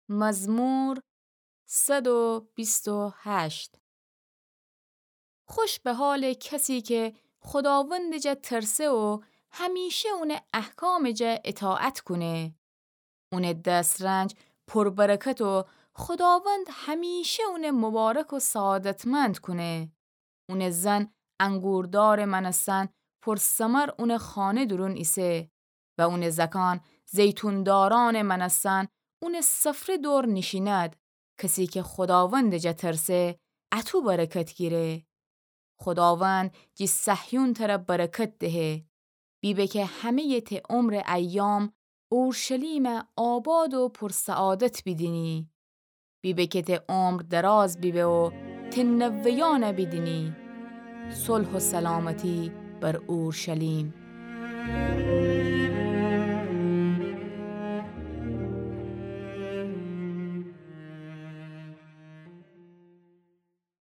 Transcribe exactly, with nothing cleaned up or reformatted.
مزمور صد و بیست و هشت. خوش به حالٚ کسی که خوداوندٚ جا ترسه و همیشه اونٚ احکامٚ جا اطاعت کونه. اونٚ دسترنج پر برکت و خوداوند همیشه اونٚ مبارک و سعادتمند کونه. اونٚ زن انگوردارٚ مأنستن پر ثمر اونٚ خانه دورون ایسه و اونٚ زأکان زیتون دارانٚ مأنستن اونٚ سفره دور نیشیند. کسی که خوداوندٚ جا ترسه، اطو برکت گیره. خوداوند جی صهیون تر برکت دهه. بیبه که همه‌یٚ ته عمرٚ ایام اورشلیم آباد و پر سعادت بیدینی. بیبه که ته عمر دراز بیبه و ته نوه‌یأن بیدینی. صلح و سلامتی بر اورشلیم.